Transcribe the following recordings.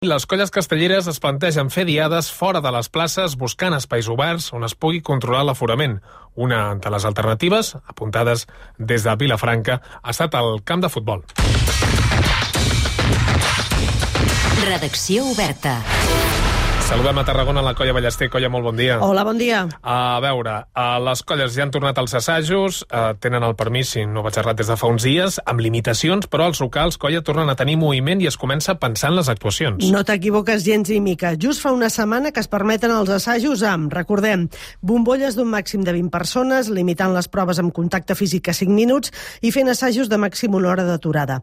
Les colles castelleres es plantegen fer diades fora de les places buscant espais oberts on es pugui controlar l'aforament. Una de les alternatives, apuntades des de Vilafranca, ha estat el camp de futbol. Redacció oberta. Saludem a Tarragona, la Colla Ballester. Colla, molt bon dia. Hola, bon dia. A veure, les colles ja han tornat als assajos, tenen el permís, si no vaig errat, des de fa uns dies, amb limitacions, però els locals, Colla, tornen a tenir moviment i es comença a pensar en les actuacions. No t'equivoques gens ni mica. Just fa una setmana que es permeten els assajos amb, recordem, bombolles d'un màxim de 20 persones, limitant les proves amb contacte físic a 5 minuts i fent assajos de màxim una hora d'aturada.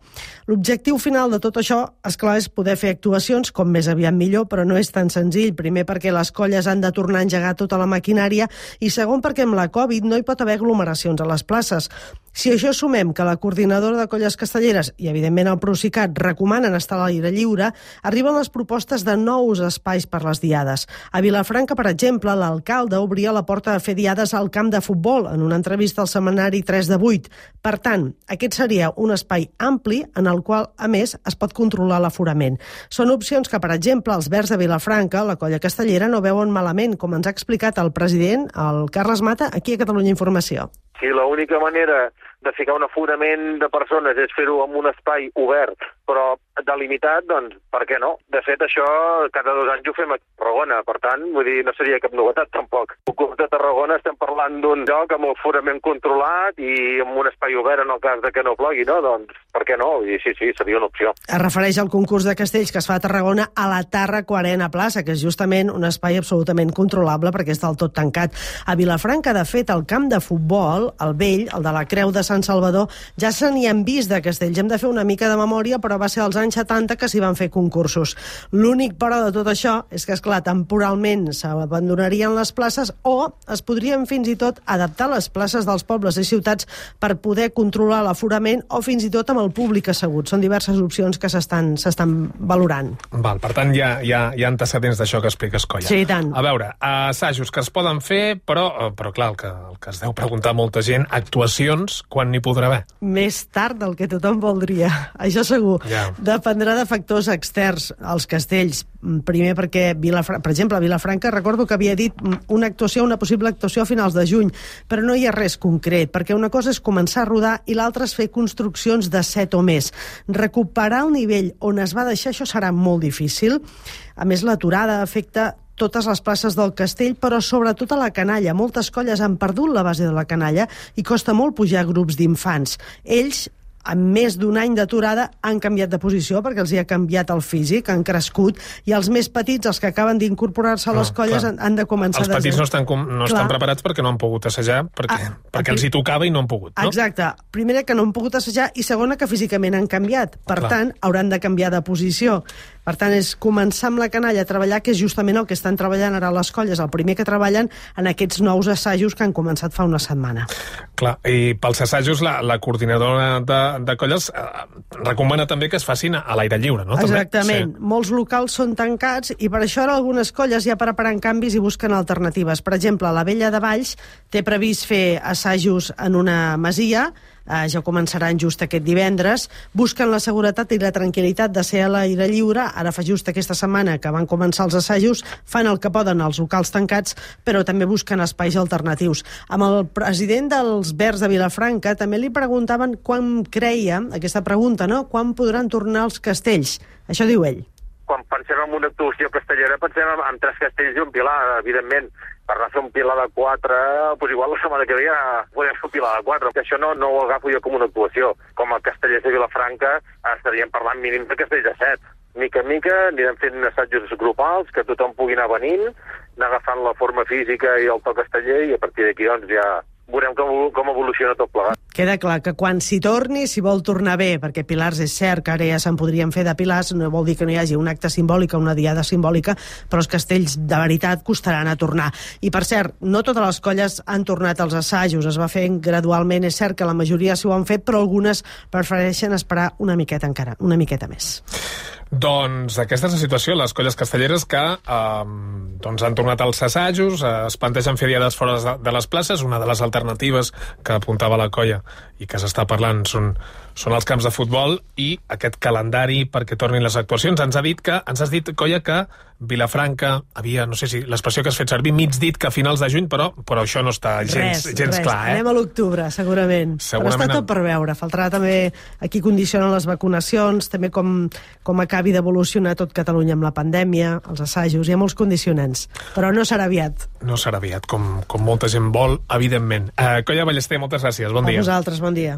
L'objectiu final de tot això, esclar, és poder fer actuacions com més aviat millor, però no és tan senzill. Primer perquè les colles han de tornar a engegar tota la maquinària i segon perquè amb la Covid no hi pot haver aglomeracions a les places. Si això sumem que la coordinadora de colles castelleres i, evidentment, el Procicat recomanen estar a l'aire lliure, arriben les propostes de nous espais per les diades. A Vilafranca, per exemple, l'alcalde obria la porta a fer diades al camp de futbol en una entrevista al setmanari 3 de 8. Per tant, aquest seria un espai ampli en el qual, a més, es pot controlar l'aforament. Són opcions que, per exemple, els Verds de Vilafranca, la colla castellera, no veuen malament, com ens ha explicat el president, el Carles Mata, aquí a Catalunya Informació. Si l'única manera de ficar un aforament de persones és fer-ho en un espai obert, però delimitat, doncs, per què no? De fet, això cada 2 anys ho fem a Tarragona, per tant, vull dir, no seria cap novetat, tampoc. Al CUP de Tarragona estem parlant d'un lloc amb aforament controlat i amb un espai obert en el cas de que no plogui, no? Doncs, per què no? I sí, seria una opció. Es refereix al concurs de castells que es fa a Tarragona a la Tàrraco Arena Plaça, que és justament un espai absolutament controlable perquè és del tot tancat. A Vilafranca, de fet, el camp de futbol, el vell, el de la Creu de Sant Salvador, ja se n'hi han vist de castells. Hem de fer una mica de memòria, però va ser als anys 70 que s'hi van fer concursos. L'únic, però, de tot això és que, esclar, temporalment s'abandonarien les places o es podrien fins i tot adaptar les places dels pobles i ciutats per poder controlar l'aforament o fins i tot amb el públic assegut. Són diverses opcions que s'estan valorant. Val, per tant, hi ha antecedents d'això que expliques, Colla. Sí, tant. A veure, assajos que es poden fer, però clar, el que es deu preguntar molta gent, actuacions, quan n'hi podrà haver? Més tard del que tothom voldria, això segur. Ja. Dependrà de factors externs als castells. Primer perquè, per exemple, a Vilafranca recordo que havia dit una possible actuació a finals de juny, però no hi ha res concret, perquè una cosa és començar a rodar i l'altra és fer construccions de 7 o més. Recuperar el nivell on es va deixar, això serà molt difícil. A més, l'aturada afecta totes les places del castell, però sobretot a la canalla. Moltes colles han perdut la base de la canalla i costa molt pujar grups d'infants. Ells, amb més d'un any d'aturada, han canviat de posició perquè els hi ha canviat el físic, han crescut, i els més petits, els que acaben d'incorporar-se a les colles, han de començar Els petits no estan preparats perquè no han pogut assajar, perquè els hi tocava i no han pogut, no? Exacte. Primera, que no han pogut assajar, i segona, que físicament han canviat. Per tant, hauran de canviar de posició. Per tant, és començar amb la canalla a treballar, que és justament el que estan treballant ara les colles, el primer que treballen en aquests nous assajos que han començat fa una setmana. Clar, i pels assajos la coordinadora de colles recomana també que es facin a l'aire lliure, no? Exactament. Sí. Molts locals són tancats i per això ara algunes colles ja preparen canvis i busquen alternatives. Per exemple, la Vella de Valls té previst fer assajos en una masia, ja començaran just aquest divendres, busquen la seguretat i la tranquil·litat de ser a l'aire lliure. Ara fa just aquesta setmana que van començar els assajos, fan el que poden als locals tancats, però també busquen espais alternatius. Amb el president dels Verds de Vilafranca també li preguntaven quan creia, aquesta pregunta, no?, quan podran tornar els castells. Això diu ell. Quan pensem en una actuació castellera, pensem en 3 castells i un pilar, evidentment. Per anar a fer un pilar de 4, doncs igual la setmana que ve ja podem fer un pilar de 4. Que això no ho agafo jo com una actuació. Com a castellers de Vilafranca estaríem parlant mínim de castells de 7. Mica en mica anirem fent assajos grupals, que tothom pugui anar venint, anar agafant la forma física i el to casteller, i a partir d'aquí doncs ja veurem com evoluciona tot plegat. Queda clar que quan s'hi torni, si vol tornar bé, perquè pilars és cert que ara ja se'n podrien fer de pilars, no vol dir que no hi hagi un acte simbòlic o una diada simbòlica, però els castells de veritat costaran a tornar. I per cert, no totes les colles han tornat als assajos, es va fent gradualment, és cert que la majoria s'ho han fet, però algunes prefereixen esperar una miqueta encara, una miqueta més. Doncs aquesta és la situació, les colles castelleres que Doncs han tornat als assajos, es plantegen fer diades fora de les places. Una de les alternatives que apuntava la colla i que s'està parlant són els camps de futbol i aquest calendari perquè tornin les actuacions. Ens has dit, colla, que Vilafranca havia, no sé si l'expressió que has fet servir, mig dit que a finals de juny, però això no està gens clar. Anem a l'octubre, segurament. Però està tot per veure. Faltarà també aquí condicionen les vacunacions, també com acabi d'evolucionar tot Catalunya amb la pandèmia, els assajos, hi ha molts condicionants. Però no serà aviat. No serà aviat, com molta gent vol, evidentment. Colla Ballester, moltes gràcies. Bon dia. A vosaltres, bon dia.